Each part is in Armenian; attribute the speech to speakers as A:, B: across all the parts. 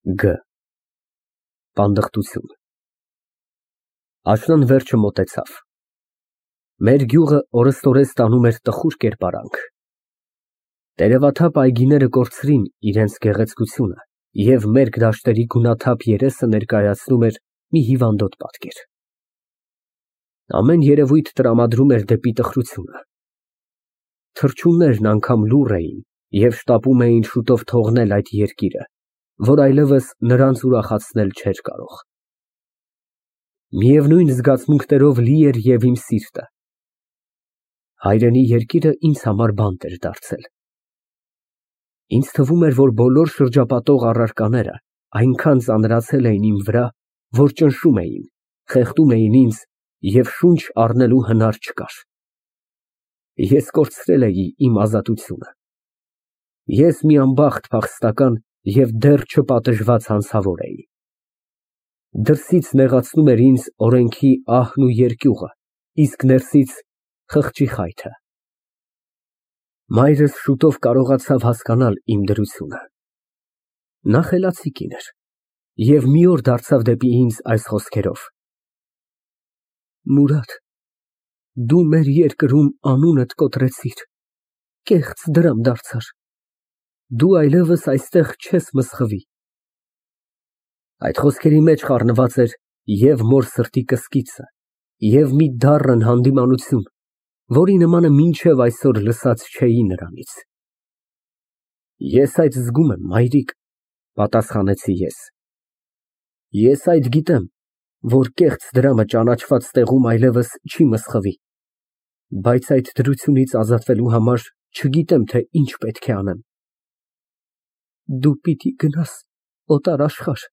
A: Գ. Պանդխտություն։ Աշնան վերջը մոտեցավ։ Մեր գյուղը օրըստօրես տանում էր տխուր կերպարանք։ Տերևաթափ այգիները կորցրին իրենց գեղեցկությունը, և մերկ դաշտերի գունաթափ երեսը ներկայացնում էր մի հիվանդոտ պատկեր։ Ամեն երևույթ տրամադրում էր դեպի տխրությունը։ Թռչուններն անգամ լուռ էին և շտապում էին շուտով թողնել այդ երկիրը, որ այլևս նրանց ուրախացնել չէր կարող։ Միևնույն զգացմունքներով լի էր և իմ սիրտը։ Հայրենի երկիրը ինձ համար բանտ էր դարձել։ Ինձ թվում էր, որ բոլոր շրջապատող առարկաները այնքան ծանրացել էին իմ վրա, որ ճնշում էին, խեղդում էին ինձ և շունչ առնելու հնար չկար։ Ես կորցրել էի իմ ազատությունը։ Ես մի անբախտ փախստական և դեռ չպատժված հանցավոր էի։ Դրսից նեղացնում էր ինձ օրենքի ահն ու երկյուղը, իսկ ներսից խղճի խայթը։ Մայրս շուտով կարողացավ հասկանալ իմ դրությունը։ Նա խելացի կին էր և մի օր դարձավ դեպի ինձ այս խոսքերով. Մուրադ, դու մեր երկրում անունդ կոտրեցիր, կեղծ դրամ դարձար, դու այլևս այստեղ չես մսխվի։ Այդ խոսքերի մեջ խառնված էր և մոր սրտի կսկիծը, և մի դառն հանդիմանություն, որի նմանը մինչև այսօր լսած չէի նրանից։ Ես այդ զգում եմ, մայրիկ, պատասխանեցի ես։ Ես այդ գիտեմ, որ կեղծ դրամը ճանաչված տեղում այլևս չի մսխվի, բայց այդ դրությունից ազատվելու համար չգիտեմ, թե ինչ պետք է անեմ։ Դու պիտի գնաս օտար աշխարհ,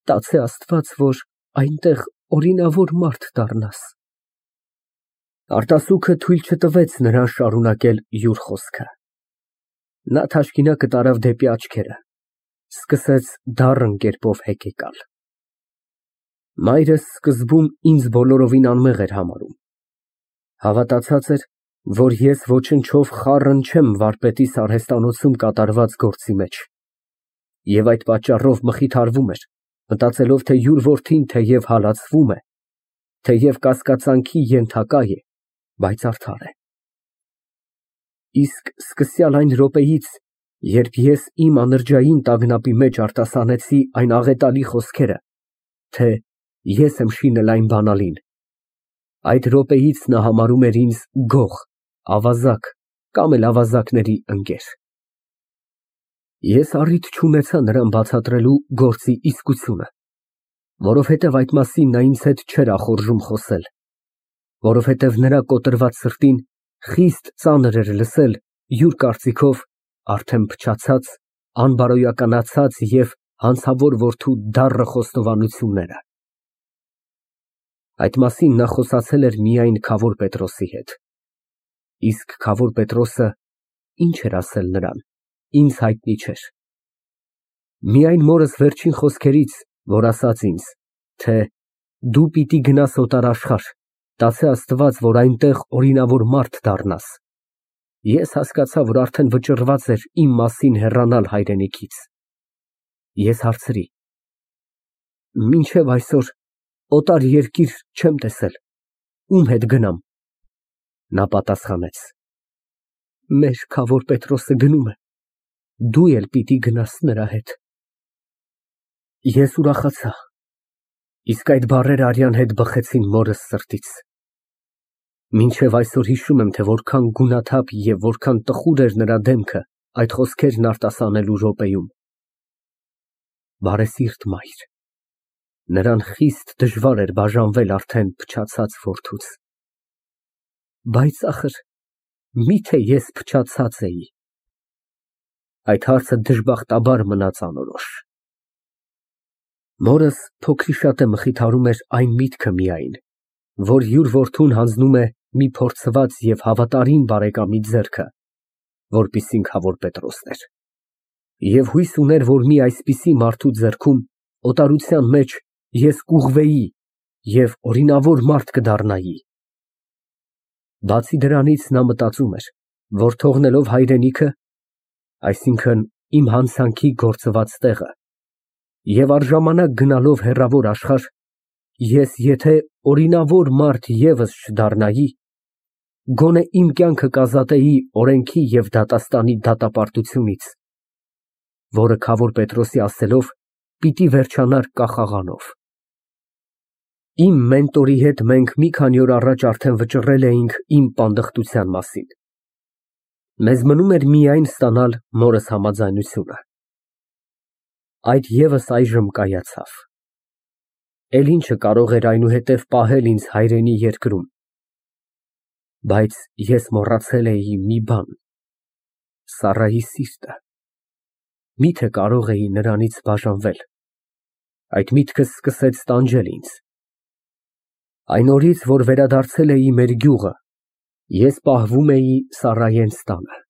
A: տացե Աստված, որ այնտեղ օրինավոր մարդ դառնաս։ Արտասուքը թույլ չտվեց նրան շարունակել յուր խոսքը։ Նա թաշկինակը տարավ դեպի աչքերը, սկսեց դառն կերպով հեկեկալ։ Մայրս սկզբում ինձ բոլորովին անմեղ էր համարում։ Հավատացած էր, որ ես ոչնչով խառն չեմ վարպետիս արհեստանոցում կատարված գործի մեջ, և այդ պատճառով մխիթարվում էր, մտածելով, թե յուր որդին թեև հալածվում է, թեև կասկածանքի ենթակա է, բայց արդար է։ Իսկ սկսյալ այն րոպեից, երբ ես իմ անրջային տագնապի մեջ արտասանեցի այն աղետալի խոսքերը, թե ես եմ շինել այն բանալին, այդ րոպեից նա համարում էր ինձ գող, ավազակ կամ էլ ավազակների ընկեր։ Ես առիթ չունեցա նրան բացատրելու գործի իսկությունը, որովհետև այդ մասին նա ինձ հետ չէր ախորժում խոսել, որովհետև նրա կոտրված սրտին խիստ ծանր էր լսել յուր կարծիքով արդեն փչացած, անբարոյականացած և հանցավոր որդու դառը խոստովանությունները։ Այդ մասին նա խոսացել էր միայն Քավոր Պետրոսի հետ, իսկ Քավոր Պետրոսը ինչ էր ասել նրան, ինձ հայտնի չէր։ Միայն մորս վերջին խոսքերից, որ ասաց ինձ, թե դու պիտի գնաս օտար աշխարհ, տացե Աստված, որ այնտեղ օրինավոր մարդ դառնաս, ես հասկացա, որ արդեն վճռված էր իմ մասին հեռանալ հայրենիքից։ Ես հարցրի. Մինչև այսօր օտար երկիր չեմ տեսել, ում հետ գնամ։ Նա պատասխանեց. Մեր Քավոր Պետրոսը գնում է, դու էլ պիտի գնաս նրա հետ։ Ես ուրախացա, իսկ այդ բառերը արյան հետ բխեցին մորս սրտից։ Մինչև այսօր հիշում եմ, թե որքան գունաթափ և որքան տխուր էր նրա դեմքը այդ խոսքերն արտասանելու րոպեում։ Բարեսիրտ մայր, նրան խիստ դժվար էր բաժանվել արդեն փչացած որդուց։ Բայց ախր, միթե ես փչացած էի։ Այդ հարցը դժբախտաբար մնաց անորոշ։ Մորս փոքրիշատե մխիթարում էր այն միտքը միայն, որ յուր որդուն հանձնում է մի փորձված և հավատարիմ բարեկամի ձեռքը, որպիսին Քավոր Պետրոսն էր, և հույս ուներ, որ մի այսպիսի մարդու ձեռքում օտարության մեջ ես կուղղվեի և օրինավոր մարդ կդառնայի։ Բացի դրանից նա մտածում էր, որ թողնելով հայրենիքը, այսինքն իմ հանցանքի գործված տեղը, Եվ առժամանակ գնալով հեռավոր աշխարհ, ես եթե օրինավոր մարդ ևս չդառնայի, գոնե իմ կյանքը կազատեի օրենքի և դատաստանի դատապարտությունից, որը քավոր Պետրոսի ասելով պիտի վերջանար կախաղանով։ Իմ մենտորի հետ մենք մի քանի օր առաջ արդեն վճռել էինք իմ պանդխտության մասին։ Մեզ մնում էր միայն ստանալ մորս համաձայնությունը։ Այդ ևս այժմ կայացավ։ Էլ ինչը կարող էր այնուհետև պահել ինձ հայրենի երկրում։ Բայց ես մոռացել էի մի բան. Սառայի սիրտը։ Միթե կարող էի նրանից բաժանվել։ Այդ միտքս սկսեց տանջել ինձ։ Այն օրից, որ վերադարձել էի մեր գյուղը, ես պահվում էի Սառայենց տանը։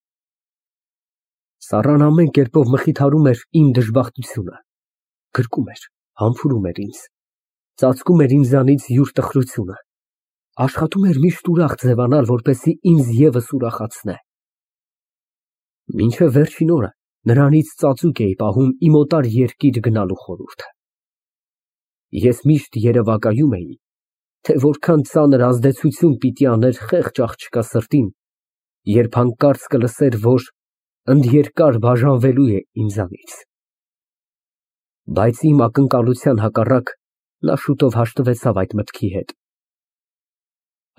A: Սառան ամեն կերպով մխիթարում էր իմ դժբախտությունը, գրկում էր, համբուրում էր ինձ, ծածկում էր ինձանից յուր տխրությունը, աշխատում էր միշտ ուրախ ձևանալ, որպեսզի ինձ ևս ուրախացնե։ Մինչև վերջին օրը նրանից ծածուկ էի պահում իմ օտար երկիր գնալու խորհուրդը։ Ես միշտ երևակայում էի, թե որքան ծանր ազդեցություն պիտի աներ խեղճ աղջկա սրտին, երբ հանկարծ կլսեր, որ ընդերկար բաժանվելու է ինձանից։ Բայց իմ ակնկալության հակառակ նա շուտով հաշտվեցավ այդ մտքի հետ։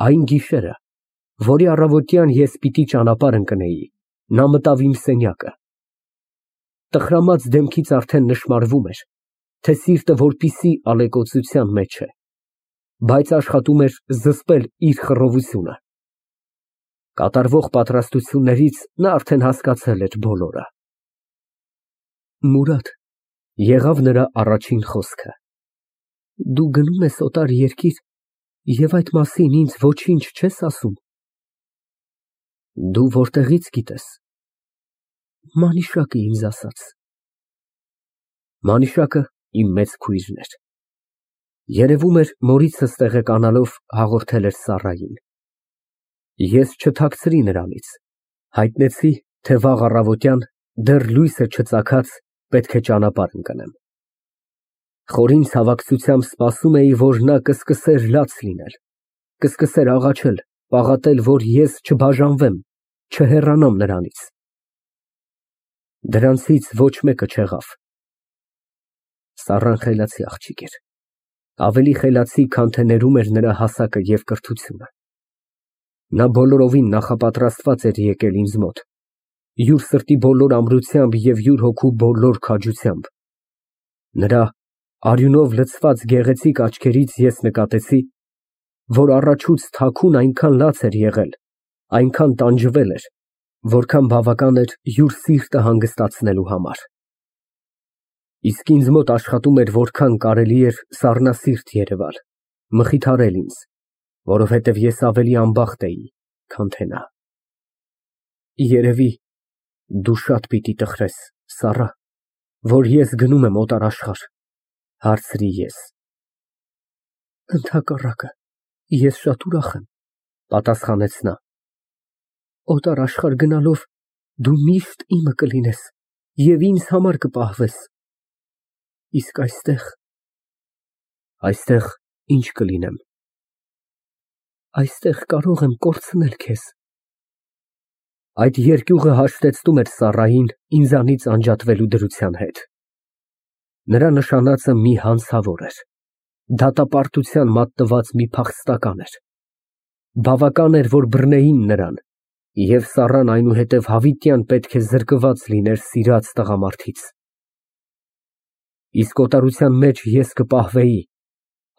A: Այն գիշերը, որի առավոտյան ես պիտի ճանապարհ ընկնեի, նա մտավ իմ սենյակը։ Տխրամած դեմքից արդեն նշմարվում էր, թե սիրտը որպիսի ալեկոծության մեջ է, բայց աշխատում էր զսպել իր խռովությունը։ Կատարվող պատրաստություններից նա արդեն հասկացել էր բոլորը։ Մուրադ, եղավ նրա առաջին խոսքը, դու գնում ես օտար երկիր և այդ մասին ինձ ոչինչ չես ասում։ Դու որտեղից գիտես։ Մանիշակը ինձ ասաց։ Մանիշակը իմ մեծ քույրն էր։ Երևում էր, մորիցս տեղեկանալով հաղորդել էր Սառային։ Ես չթաքցրի նրանից, հայտնեցի, թե վաղ առավոտյան, դեռ լույսը չծագած, պետք է ճանապարհ ընկնեմ։ Խորին ցավակցությամբ սպասում էի, որ նա կսկսեր լաց լինել, կսկսեր աղաչել, պաղատել, որ ես չբաժանվեմ, չհեռանամ նրանից։ Դրանցից ոչ մեկը չեղավ։ Սառան խելացի աղջիկ էր, ավելի խելացի, քան թե ներում էր նրա հասակը և կրթությունը։ Նա բոլորովին նախապատրաստված էր եկել ինձ մոտ, յուր սրտի բոլոր ամրությամբ և յուր հոգու բոլոր քաջությամբ։ Նրա արյունով լցված գեղեցիկ աչքերից ես նկատեցի, որ առաջուց թաքուն այնքան լաց էր եղել, այնքան տանջվել էր, որքան բավական էր յուր սիրտը հանգստացնելու համար։ Իսկ ինձ մոտ աշխատում էր որքան կարելի էր սառնասիրտ երևալ, մխիթարել ինձ, որովհետև ես ավելի անբախտ էի, քան թե նա։ Երևի դու շատ պիտի տխրես, Սառա, որ ես գնում եմ օտար աշխարհ, հարցրի ես։ Ընդհակառակը, ես շատ ուրախ եմ, պատասխանեց նա։ Օտար աշխարհ գնալով դու միշտ իմը կլինես և ինձ համար կպահվես։ Իսկ այստեղ… Այստեղ ի՞նչ կլինեմ։ Այստեղ կարող եմ կորցնել քեզ։ Այդ երկյուղը հաշտեցնում էր Սառային ինձանից անջատվելու դրության հետ։ Նրա նշանածը մի հանցավոր էր, դատապարտության մատնված մի փախստական էր։ Բավական էր, որ բռնեին նրան, և Սառան այնուհետև հավիտյան պետք է զրկված լիներ սիրած տղամարդից։ Իսկ օտարության մեջ ես կպահվեի,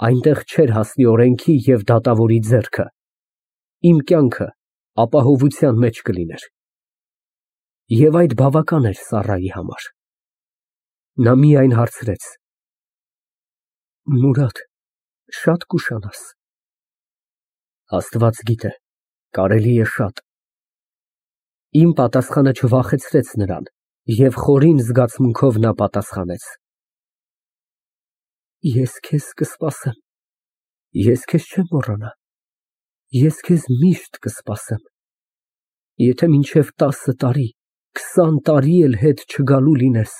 A: այնտեղ չէր հասնի օրենքի և դատավորի ձեռքը, իմ կյանքը ապահովության մեջ կլիներ։ Եվ այդ բավական էր Սառայի համար։ Նա միայն հարցրեց. Մուրադ, շատ կուշանաս։ Աստված գիտե, կարելի է շատ։ Իմ պատասխանը չվախեցրեց նրան, և խորին զգացմունքով նա պատասխանեց. Ես քեզ կսպասեմ, ես քեզ չեմ մոռանա, ես քեզ միշտ կսպասեմ։ Եթե մինչև 10 տարի, 20 տարի էլ հետ չգալու լինես,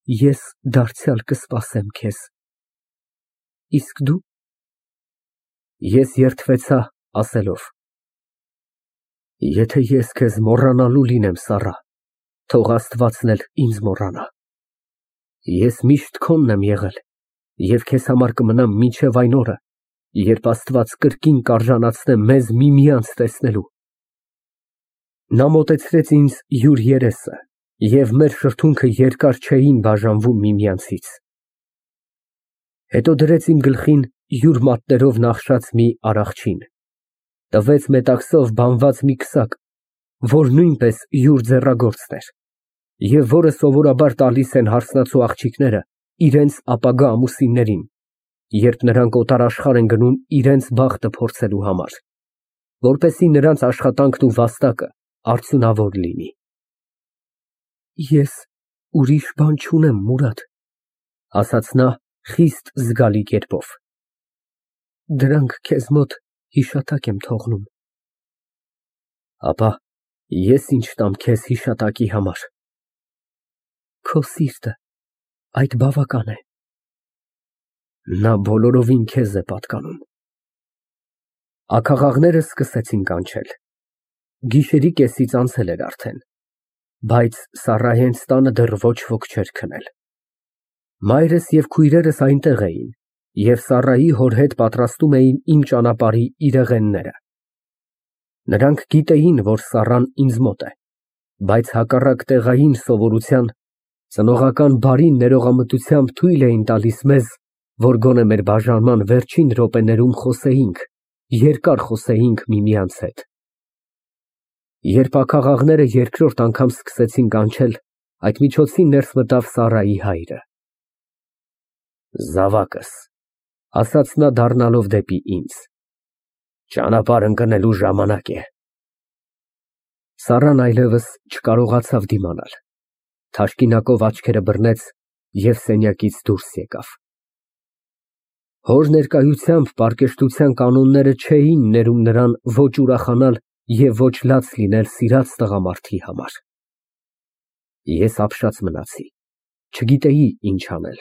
A: ես դարձյալ կսպասեմ քեզ։ Իսկ դու։ Ես երդվեցա ասելով. Եթե ես քեզ մոռանալու լինեմ, Սառա, թող Աստվածն էլ ինձ մոռանա։ Ես միշտ քոնն եմ եղել և քեզ համար կմնամ մինչև այն օրը, երբ Աստված կրկին կարժանացնե մեզ միմյանց տեսնելու։ Նա մոտեցրեց ինձ յուր երեսը, և մեր շրթունքը երկար չէին բաժանվում միմյանցից։ Հետո դրեց իմ գլխին յուր մատներով նախշած մի արախչին, տվեց մետաքսով բանված մի քսակ, որ նույնպես յուր ձեռագործն էր, և որը սովորաբար տալիս են հարսնացու աղջիկները իրենց ապագա ամուսիններին, երբ նրանք օտար աշխարհ են գնում իրենց բախտը փորձելու համար, որպեսզի նրանց աշխատանքն ու վաստակը արդյունավոր լինի։ Ես ուրիշ բան չունեմ, Մուրադ, ասաց նա խիստ զգալի կերպով։ Դրանք քեզ մոտ հիշատակ եմ թողնում։ Ապա ես ինչ տամ քեզ հիշատակի համար։ Քո սիրտը, այդ բավական է։ Նա բոլորովին քեզ է պատկանում։ Աքաղաղները սկսեցին կանչել։ Գիշերի կեսից անցել էր արդեն, բայց Սառայի հենց տանը դեռ ոչ ոք չէր քնել։ Մայրս և քույրերս այնտեղ էին և Սառայի հոր հետ պատրաստում էին իմ ճանապարհի իրեղենները։ Նրանք գիտեին, որ Սառան ինձ մոտ է, բայց հակառակ տեղային սովորության, ծնողական բարի ներողամտությամբ թույլ էին տալիս մեզ, որ գոնե մեր բաժանման վերջին րոպեներում խոսեինք, երկար խոսեինք միմյանց հետ։ Երբ աքաղաղները երկրորդ անգամ սկսեցին կանչել, այդ միջոցին ներս մտավ Սառայի հայրը։ Զավակս, ասաց նա դառնալով դեպի ինձ, ճանապարհ ընկնելու ժամանակ է։ Սառան այլևս չկարողացավ դիմանալ, թաշկինակով աչքերը բռնեց և սենյակից դուրս եկավ։ Հոր ներկայությամբ պարկեշտության կանոնները չէին ներում նրան ոչ ուրախանալ և ոչ լաց լինել սիրած տղամարդի համար։ Ես ապշած մնացի, չգիտեի ինչ անել։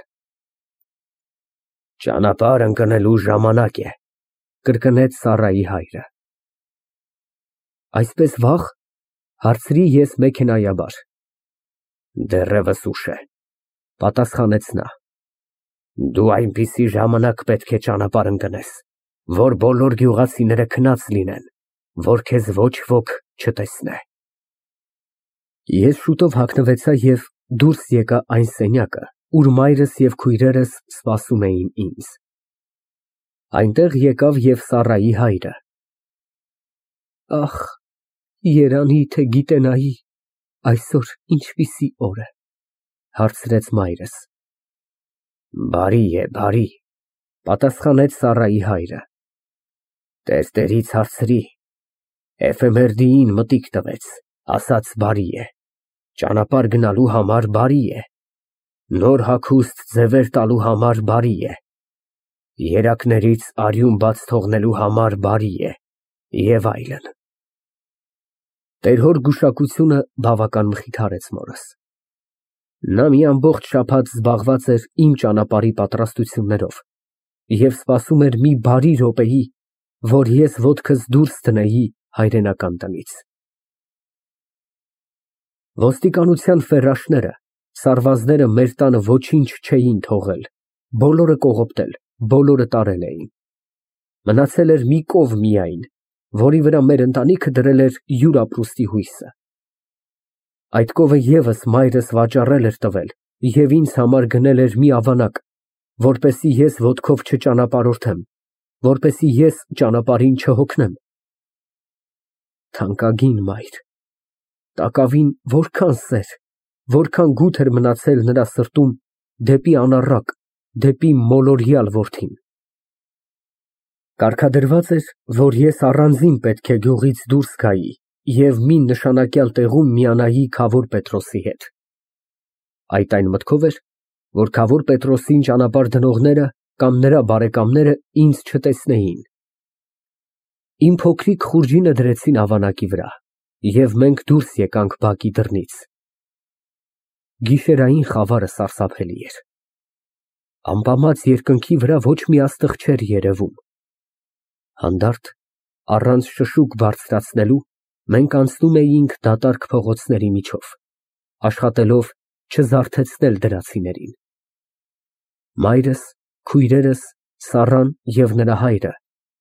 A: Ճանապարհ ընկնելու ժամանակ է, կրկնեց Սառայի հայրը։ Այսպես վաղ, հարցրի ես մեքենայաբար։ Դեռևս ուշ է, պատասխանեց նա։ Դու այնպիսի ժամանակ պետք է ճանապարհ ընկնես, որ բոլոր գյուղացիները քնած լինեն, որ քեզ ոչ ոք չտեսնե։ Ես շուտով հագնվեցա և դուրս եկա այն սենյակը, ուր մայրս և քույրերս սպասում էին ինձ։ Այնտեղ եկավ և Սառայի հայրը։ Ախ, երանի թե գիտենայի այսօր ինչպիսի օր է, հարցրեց մայրս։ Բարի է, բարի, պատասխանեց Սառայի հայրը։ Տերտերից հարցրի, Էֆեմերդիին մտիկ տվեց, ասաց բարի է, ճանապարհ գնալու համար բարի է, նոր հագուստ ձևեր տալու համար բարի է, երակներից արյուն բաց թողնելու համար բարի է, և այլն։ Տեր-հոր գուշակությունը բավական մխիթարեց մորս։ Նա մի ամբողջ շաբաթ զբաղված էր իմ ճանապարհի պատրաստություններով և սպասում էր մի բարի րոպեի, որ ես ոտքս դուրս դնեի հայրենական տնից։ Ոստիկանության ֆերաշները, սարվազները մեր տանը ոչինչ չէին թողել, բոլորը կողոպտել, բոլորը տարել էին։ Մնացել էր մի կով միայն, որի վրա մեր ընտանիքը դրել էր յուր ապրուստի հույսը։ Այդ կովը ևս մայրս վաճառել էր տվել և ինձ համար գնել էր մի ավանակ, որպեսզի ես ոտքով չճանապարհորդեմ, որպեսզի ես ճանապարհին չհոգնեմ։ Թանկագին մայր, տակավին որքան սեր, որքան գութ էր մնացել նրա սրտում դեպի անառակ, դեպի մոլորյալ որդին։ Կարգադրված էր, որ ես առանձին պետք է գյուղից դուրս գայի և մի նշանակյալ տեղում միանայի Քավոր Պետրոսի հետ։ Այդ այն մտքով էր, որ Քավոր Պետրոսին ճանապարհ դնողները կամ նրա բարեկամները ինձ չտեսնեին։ Իմ փոքրիկ խուրջինը դրեցին ավանակի վրա, և մենք դուրս եկանք բակի դռնից։ Գիշերային խավարը սարսափելի էր։ Ամպամած երկնքի վրա ոչ մի աստղ չէր երևում։ Հանդարտ, առանց շշուկ բարձրացնելու, մենք անցնում էինք դատարկ փողոցների միջով, աշխատելով չզարթեցնել դրացիներին։ Մայրս, քույրերս, Սառան և նրա հայրը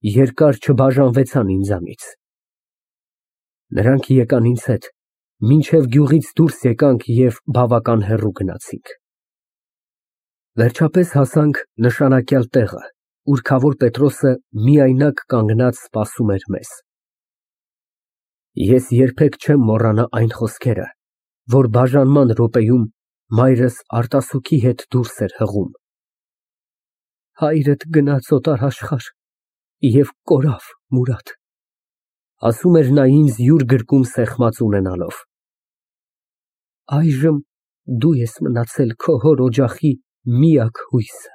A: երկար չբաժանվեցան ինձանից։ Նրանք եկան ինձ հետ, մինչև գյուղից դուրս եկանք և բավական հեռու գնացինք։ Վերջապես հասանք նշանակյալ տեղը, ուր քավոր Պետրոսը միայնակ կանգնած սպասում էր մեզ։ Ես երբեք չեմ մոռանա այն խոսքերը, որ բաժանման րոպեում մայրս արտասուքի հետ դուրս էր հղում։ Հայրդ գնաց օտար և կորավ, Մուրադ, ասում էր նա ինձ յուր գրկում սեղմած ունենալով։ Այժմ դու ես մնացել քո հոր օջախի միակ հույսը։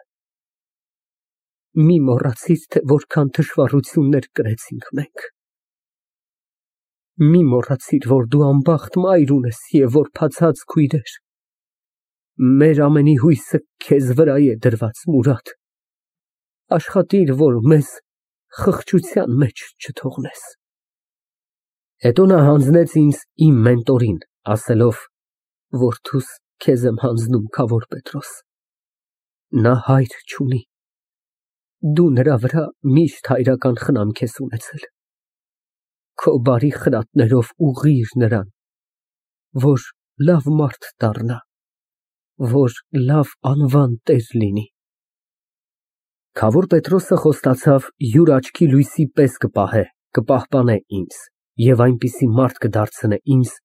A: Մի մոռացիր, թե որքան թշվառություններ կրեցինք մենք։ Մի մոռացիր, որ դու անբախտ մայր ունես և որբացած քույրեր։ Մեր ամենի հույսը քեզ վրա է դրված, Մուրադ, աշխատիր, որ մեզ խղճության մեջ չթողնես։ Հետո նա հանձնեց ինձ իմ մենտորին, ասելով. Որդուս, քեզ եմ հանձնում քավոր Պետրոս, նա հայր չունի, դու նրա վրա միշտ հայրական խնամք ես ունեցել, քո բարի խրատներով ուղղիր նրան, որ լավ մարդ դառնա, որ լավ անվան տեր լինի։ Քավոր Պետրոսը խոստացավ յուր աչքի լույսի պես կպահպանե ինձ և այնպիսի մարդ կդարձնե ինձ,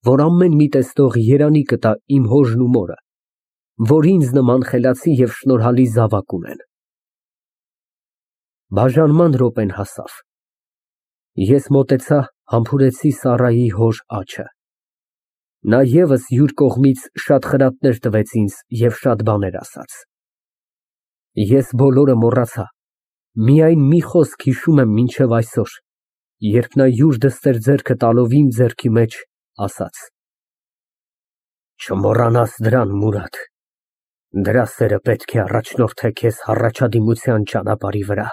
A: որ ամեն մի տեսնող երանի կտա իմ հորն ու մորը, որ ինձ նման խելացի և շնորհալի զավակ ունեն։ Բաժանման րոպեն հասավ։ Ես մոտեցա, համբուրեցի Սառայի հոր աջը։ Նա ևս յուր կողմից շատ խրատներ տվեց ինձ և շատ բաներ ասաց։ Ես բոլորը մոռացա, միայն մի խոսք հիշում եմ մինչև այսօր, երբ նա յուր դստեր ձեռքը տալով իմ ձեռքի մեջ, ասաց. Չմոռանաս դրան, Մուրադ, դրա սերը պետք է առաջնորդե քեզ հառաջադիմության ճանապարհի վրա,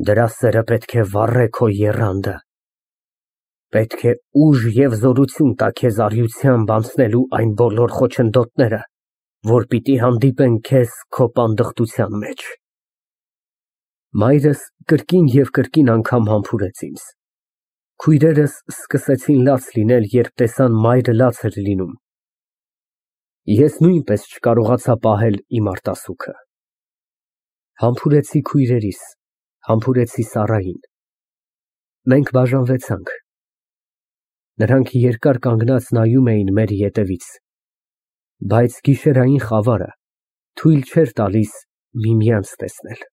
A: դրա սերը պետք է վառե քո եռանդը, պետք է ուժ և զորություն տա քեզ առյուծությամբ անցնելու այն բոլոր խոչընդոտները, որ պիտի հանդիպեն քեզ քո պանդխտության մեջ։ Մայրս կրկին և կրկին անգամ համբուրեց ինձ։ Քույրերս սկսեցին լաց լինել, երբ տեսան մայրը լաց էր լինում։ Ես նույնպես չկարողացա պահել իմ արտասուքը։ Համբուրեցի քույրերիս, համբուրեցի Սառային։ Մենք բաժանվեցանք։ Նրանք երկար կանգնած նայում էին մեր ետևից, բայց գիշերային խավարը թույլ չէր տալիս միմյանց տեսնել։